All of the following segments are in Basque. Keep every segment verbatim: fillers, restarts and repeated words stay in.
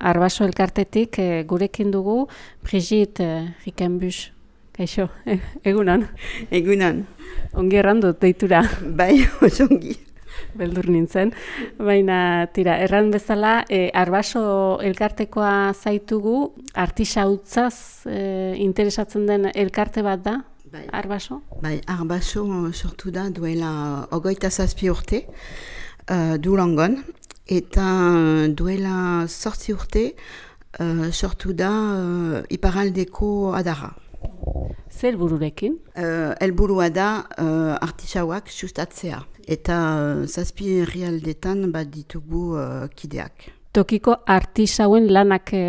Arbaso elkartetik e, gurekin dugu Brigitte e, Rickenbusch. Kaixo, e, egunon. Egunon. Ongi errandut deitura. Bai, oso ongi. Beldur nintzen. Baina, tira, erran bezala, e, Arbaso elkartekoa zaitugu, artisautzaz e, interesatzen den elkarte bat da, bai. Arbaso? Bai, Arbaso sortu da duela ogoita zazpi urte, uh, Durangon, eta duela zortzi urte uh, sortu da uh, iparraldeko adarra. Zer helbururekin? Uh, helburua da uh, artisauak sustatzea, eta uh, zazpi herrialdetan bat ditugu uh, kideak. Tokiko artisauen lanak e,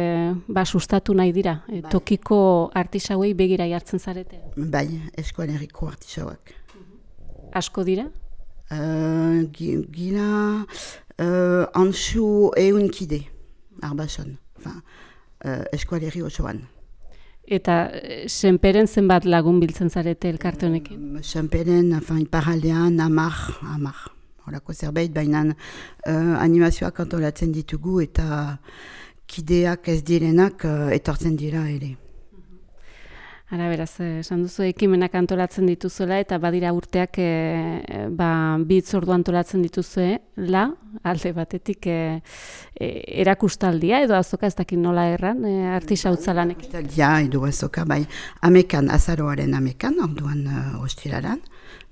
ba, sustatu nahi dira. E, Bai. Tokiko artisauei begira jartzen zarete. Bai, eskualeriko artisauak. Asko dira? Uh, Gila uh, antxu eun kide, Arbason, enfin, uh, eskualeri osoan. Eta e, senperen zenbat lagun biltzen zarete elkarte honekin? Uh, Senperen, enfin, iparaldean, amar, amar. Horako zerbait, baina uh, animazioak antolatzen ditugu eta kideak ez direnak uh, etortzen dira ere. Ara beraz, esan duzu ekimenak antolatzen dituzuela eta badira urteak e, ba, bi hitzordu antolatzen dituzue, la, alde batetik e, e, erakustaldia edo azoka ez dakit nola erran, e, artisautza lanek. Erakustaldia edo azoka, bai, amekan, azaroaren amekan, orduan uh, ostiraran,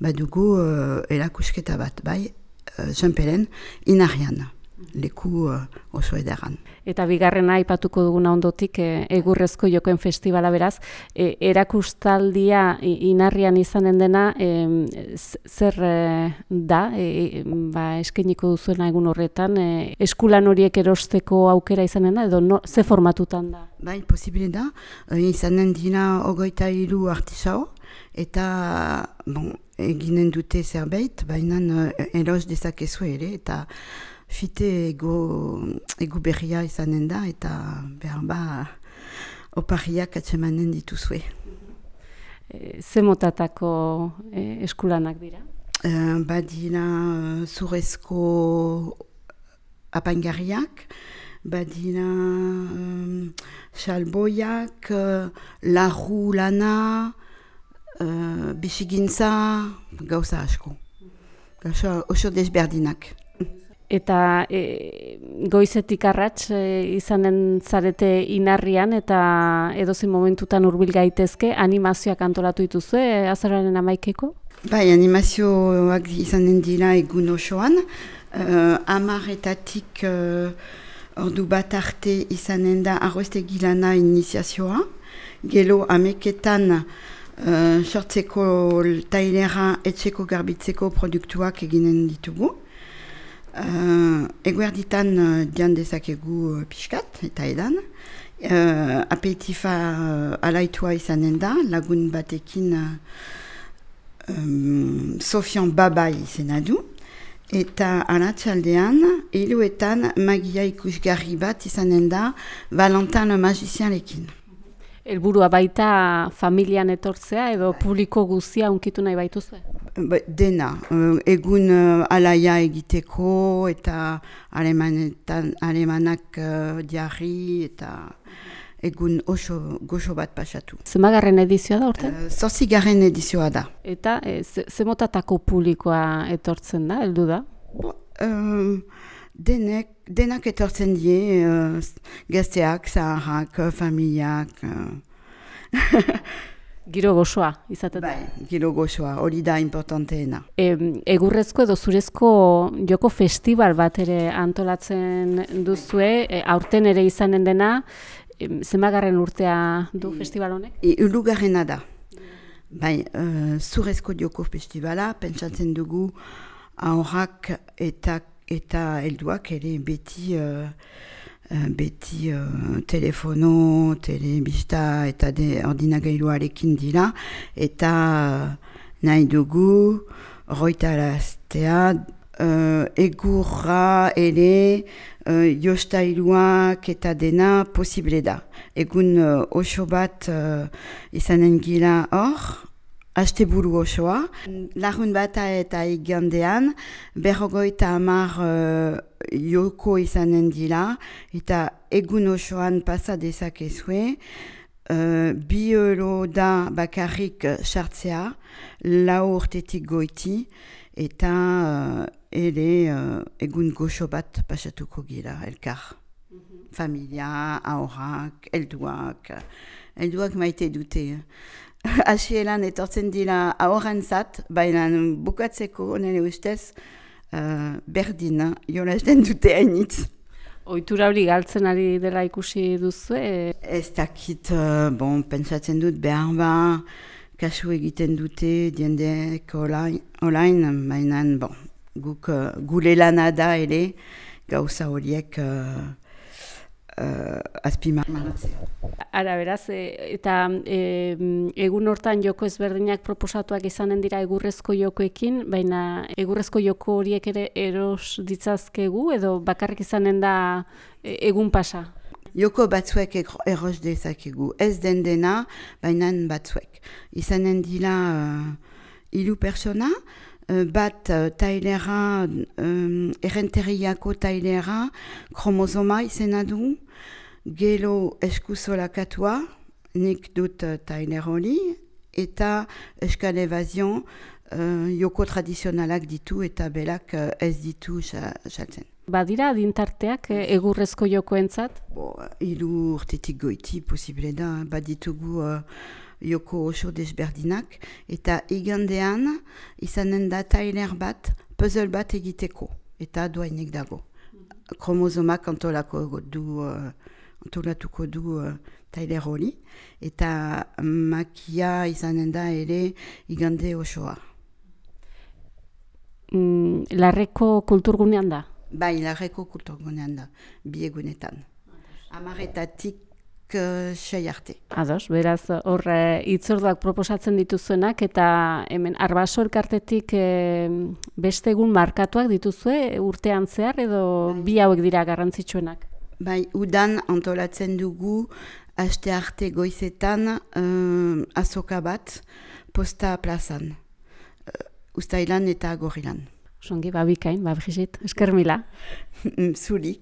badugu uh, erakusketa bat, bai, uh, senperen, inarrian, leku uh, oso ederran. Eta bigarrena aipatuko duguna ondotik e, egurrezko jokoen festivala beraz, e, erakustaldia inarrian izanen dena e, zer e, da, e, ba, eskainiko duzuena egun horretan, e, eskulan horiek erosteko aukera izanen da, edo no, ze formatutan da? Bai, posibile da, uh, izanen dira ogoita hiru artisau, eta bon, eginen dute zerbait, baina uh, eros dezakezu ere, eta fite ego, ego berria izanen da, eta behar ba opariak atsemanen dituzue. E, ze motatako e, eskulanak dira? Uh, badira uh, zurezko apaingarriak, badira um, salboiak, uh, larru lana, uh, bisigintza, gauza asko. Gauza oso desberdinak. Eta e, goizetik arrats e, izanen zarete inarrian eta edozein momentutan hurbil gaitezke animazioak antolatu dituzue e, azaroaren amaikeko? Bai, animazioak izanen dira egun osoan, uh, amarretatik uh, ordu bat arte izanen da arroestegi lana iniziazioa, gero ameketan uh, sortzeko tailera etxeko garbitzeko produktuak eginen ditugu. Uh, eguerditan uh, dian dezakegu uh, pixkat eta edan. Uh, apetifa uh, alaitua izanen da, lagun batekin uh, um, Sofian Babai izena du. Eta aratsaldean, hiluetan magia ikusgarri bat izanen da Valentin le Magicianekin. Helburua baita familian etortzea edo publiko guztia unkitu nahi baituzue? Dena, uh, egun uh, alaia egiteko eta alemanetan, alemanak uh, diarri eta egun oso goxo bat pasatu. Zemagarren edizioa da urte? Uh, Zortzigarren edizioa da. Eta e, ze, ze motatako publikoa etortzen da, heldu da? Bo, um, denek, denak etortzen die, uh, gazteak, zaharrak, familiak. Uh. Giro gozoa izaten da. Bai, giro gozoa, hori da importanteena. E, egurrezko edo zurezko joko festival bat ere antolatzen duzue, e, aurten ere izanen dena, e, zemagarren urtea du e, festival honek? E, ulugarrena da. Bai, uh, zurezko joko festivala, pentsatzen dugu aurrak eta, eta helduak ere beti... Uh, Uh, beti uh, telefono, telebista eta de ordinagailuarekin dira, eta uh, nahi dugu roitaraztea uh, egurra ere uh, jostailuak eta dena posible da. Egun uh, oso bat uh, izanen gila hor, asteburu osoa. Larun bata eta igandean, berrogoita hamar uh, joko izanen dira, eta egun osoan pasa dezakezue, uh, bi euro da bakarrik sartzea, lau urtetik goiti, eta uh, ere uh, egun goxo bat pasatuko gira, elkar. Mm-hmm. Familia, aurrak, helduak, helduak maite dute. Hasieran etortzen dira aurrantzat, baina bukatzeko nire ustez uh, berdin jolasten dute hainitz. Ohitura hori galtzen ari dela ikusi duzu? Ez dakit, uh, bon, pentsatzen dut behar ba, kasu egiten dute diendeek olain, baina bon, guk uh, gure lana da ere gauza horiek uh, Uh, azpimarratzea. Ara, beraz, e, eta e, egun hortan joko ezberdinak proposatuak izanen dira egurrezko jokoekin, baina egurrezko joko horiek ere eros ditzazkegu edo bakarrik izanen da e, egun pasa? Joko batzuek eros dezakegu, ez den dena, baina batzuek. Izanen dira uh, hiru persona, bat uh, tailera, um, errenteriako tailera, kromosoma izena du, gero eskuzolakatua, nik dut uh, tailer hori, eta eskal evazion, uh, joko tradizionalak ditu eta belak uh, ez ditu saltzen. Badira adintarteak egurrezko jokoentzat? Bo, hiru urtetik goiti posible da, baditugu uh, joko oso desberdinak, eta igandean izanen da tailer bat, puzzle bat egiteko, eta doainek dago. Mm-hmm. Kromosomak antolako du, uh, antolatuko du uh, tailer hori, eta makia izanen da ere igande osoa. Mm, larreko kulturgunean da? Bai, larreko kulturgunean da, bi egunetan. Amaretatik sei arte. Ados, beraz, hor hitzorduak proposatzen dituzuenak, eta hemen Arbaso elkartetik e, beste egun markatuak dituzue urtean zehar, edo bi hauek dira garrantzitsuenak? Bai, udan antolatzen dugu aste arte goizetan uh, azoka bat posta plazan, uh, Uztailan eta Gorrilan. Songi, babikain, babrizit, esker mila. Zuri.